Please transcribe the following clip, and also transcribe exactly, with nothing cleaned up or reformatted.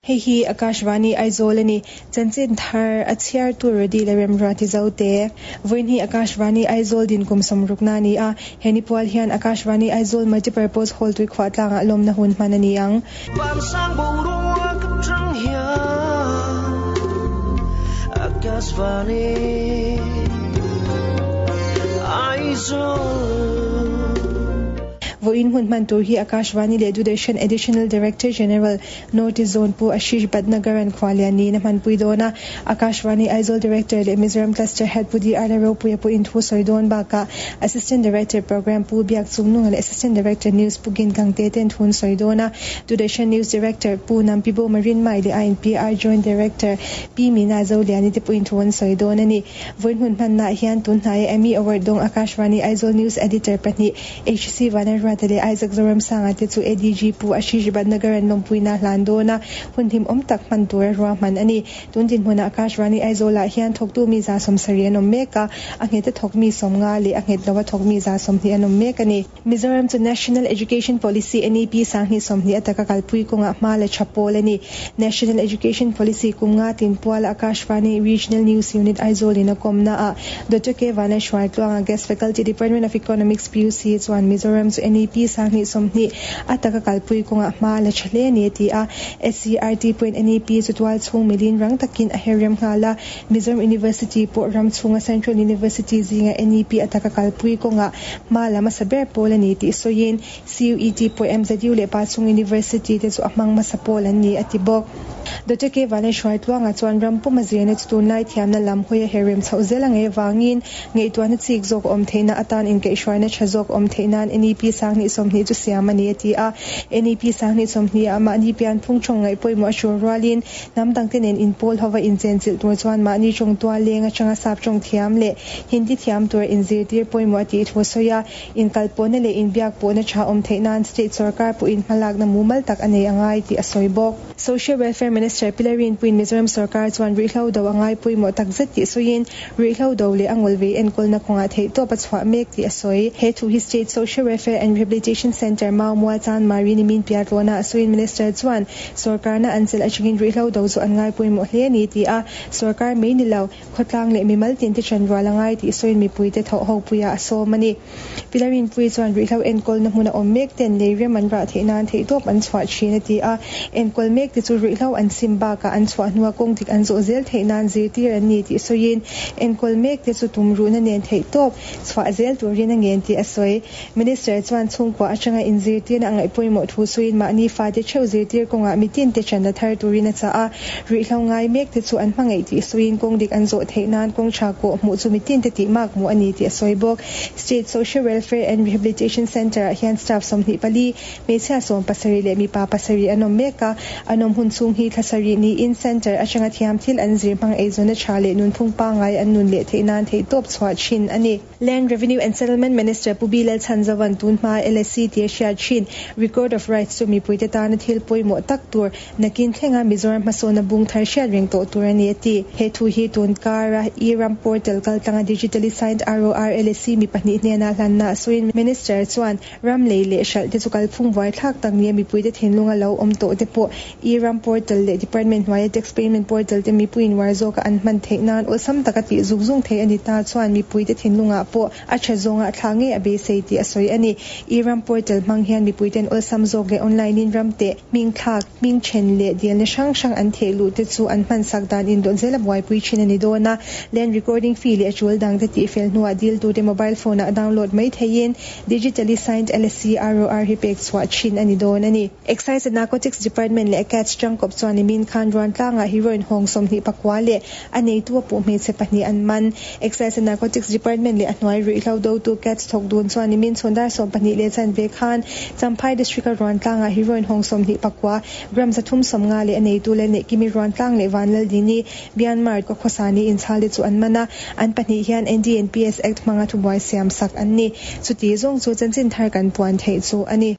Hei hi Akashvani Aizawl a ni. Chanchin thar a chhiartu Rodi leh Remruati Zote. Vawiin hi Akashvani Aizawl din kum sawmrukna a ni a. He ni pual hian Akashvani Aizawl Multipurpose Hall tuikhuah tlangah lawmna hun hman a ni ang. Vansang boruak atang hian Akashvani Aizawl. Vawiin hun hman tur hi Akashvani leh Doordarshan Additional Director General, North East Zone Pu Ashish Bhatnagar-a'n khualian niin a hmanpui dawn a. Akashvani Aizawl Director leh Mizoram Cluster Head Pu DR Lalropuia pawhin thu sawi dawn bakah Assistant Director Programme Pu Biak Chungnunga leh Assistant Director News Pu Gin Gangte ten thu an sawi dawn a. Doordarshan News Director Pu Nampibo Marinmai leh I N P R Joint Director Pi Meena Zoliani te pawhin thu an sawi dawn a ni. Vawiin hun hmannaah hian tun hnaia Emmy Award dawng Akashvani Aizawl News Editor pahnih H C Vanlalruata leh Isaac Zoramsanga te chu A D G Pu Ashish Bhatnagar an lawmpuina hlan dawn a, hun hlim awm tak hman tura ruahman a ni. Tun dinhmunah Akashvani Aizawlah hian thawktu mi za sawmsarih an awm mek a, a nghet a thawk mi sawmnga leh a nghet lo a thawk mi za sawmhnih an awm mek a ni. Mizoram chu National Education Policy N E P sanghnih sawmhnih a taka kalpui kawngah hma la tha pawl a ni. National Education Policy kum nga tin puala Akashvani Regional News Unit Aizawl in a kawmna ah Doctor K Vanlalhruaitluanga, Guest Faculty, Department of Economics, P U C chuan Mizoram chu N E P sanghnih sawmhnih a taka kalpui kawngah hma la tha hle ni a ti a. S C E R T pawhin N E P chu tual chhung milin rang takin a her rem nghal a. Mizoram University pawh ram chhunga Central University zinga N E P a taka kalpui kawngah hma la hmasa ber pawl a ni tih sawiin C U E T pawh M Z U leh Pachhung University te chu a hmang hmasa pawl an ni a ti bawk. Doctor K Vanlalhruaitluanga chuan ram puma zirna chu tunlai thiamna lam hawi a her rem chhoh zel a ngei avangin ngaihtuahna chik zawk awm theihna atan inkaihhruaina tha zawk awm theih nan N E P sanghnih sawmhnih chu siam a ni a ti a. N E P sanghnih sawmhnih ah mahni pian phung thawng ngaih pawimawh a tul rualin hnam dangte nen inpawl hova inchenchilh tur chuan mahni tawng tual leng atanga sap tawng thiam leh Hindi thiam tur inzirtir pawimawh a tih thu sawi a. Inkalpawhna leh inbiak pawhna tha awm theih nan state sorkar pawhin hmalakna mumal tak a nei a ngai tih a sawi bawk. Social Welfare Minister Pi Lalrinpuiin Mizoram sorkar chuan ruihhlo do a ngai pawimawh tak zet tih sawiin ruihhlo do leh a ngawlvei enkawlna kawngah theihtawp a chhuah mek tih a sawi. He thu hi State Social Welfare and Rehabilitation Centre Maumual Chanmari nimin piah tlawhna a sawiin Minister chuan sorkarna an chelh atangin ruihhlo do chu an ngai pawimawh hle ni ti a. Sorkar mai ni lo, khawtlang leh mimal tin te ṭanrual a ngai tih sawiin mipuite thawh ho puiah a sawm a ni. Pi Lalrinpuii chuan ruihhlo enkawlna hmun a awm mek ten lei rem an rah theih nan theihtawp an chhuah thin a ti a. Enkawl mek te chu ruihhlo an sim bakah an chhuah hnua kawng dik an zawh zel theih nan zirtir an ni tih sawiin enkawl mek te chu tumruhna nen theihtawp chhuah zel turin a ngen tih a sawi. Minister chuan chhungkua atanga inzirtirna a ngaih pawimawh thu sawiin mahni fate theuh zirtir kawngah mitin te ṭan la thar turin a chah a. Ruihhlo ngai mek te chu an hmangaih tih sawiin kawng dik an zawh theih nan kawng tha kawh hmuh chu mitin te tih mak hmuh a ni tih a sawi bawk. State Social Welfare and Rehabilitation Centre ah hian staff sawmhnih pali, hmeichhia sawm pasarih leh mipa pasarih an awm mek a. An awm hun chhung hi thla sarih niin centre atanga thiam thil an zir hmang eizawnna tha leh nunphung pangngai an nun leh theih nan theihtawp chhuah thin a ni. Land Revenue and Settlement Minister Pu B Lalchhanzova'n tun hma L S C tih a hriat thin Record of Rights chu mipuite tana thil pawimawh tak tur, nakin thlenga Mizoram hmasawnna bung thar hriat reng tawh tur a ni a ti. He thu hi tun kara e-Ram portal kaltlanga digitally signed R O R L S C mi pahnih hnena hlanna a sawiin Minister chuan ram lei leh hralh te chu kalphung buai thlak tak ni a mipuite thinlunga lo awm tawh te pawh e-Ram portal leh department hnuaia tax payment portal te mipuiin uar zawka an hman theih nan awlsam taka tih zung zung theih a ni ta chuan mipuite thinlungah pawh a tha zawnga thla ngei a beisei tih a sawi a ni. E-Ram portal hmang hian mipuiten awlsam zawk leh online in ram te hming thlak, hming then leh dilna hrang hrang an theh luh te chu an hman sak dan indawt zel a buaipui thin a ni dawn a. Land recording fee leh a tul dang te tih fel hnuah dil tu te mobile phone ah download mai theiin digitally signed L S C R O R hi pek chhuah thin a ni dawn a ni. Excise and Narcotics Department leh CADS tangkawp chuan nimin khan Ruantlangah heroin hawng sawmhnih pakua leh a neitu a puh hmeichhe pahnih an man. Excise and Narcotics Department leh a hnuai ruihhlo dotu CADS thawk dun chuan nimin chhun dar sawm pahnih leh chanve khan Champhai District a Ruantlangah heroin hawng sawmhnih pakua gram zathum sawmnga leh a neitu leh Neihkimi Ruantlang leh Vanlaldini Myanmar ka khawsani inchhal te chu an man a. An pahnih hian N D N P S Act hmanga thubuai siam sak an ni. Chuti zawng chu chanchin thar kan puan theih chu a ni.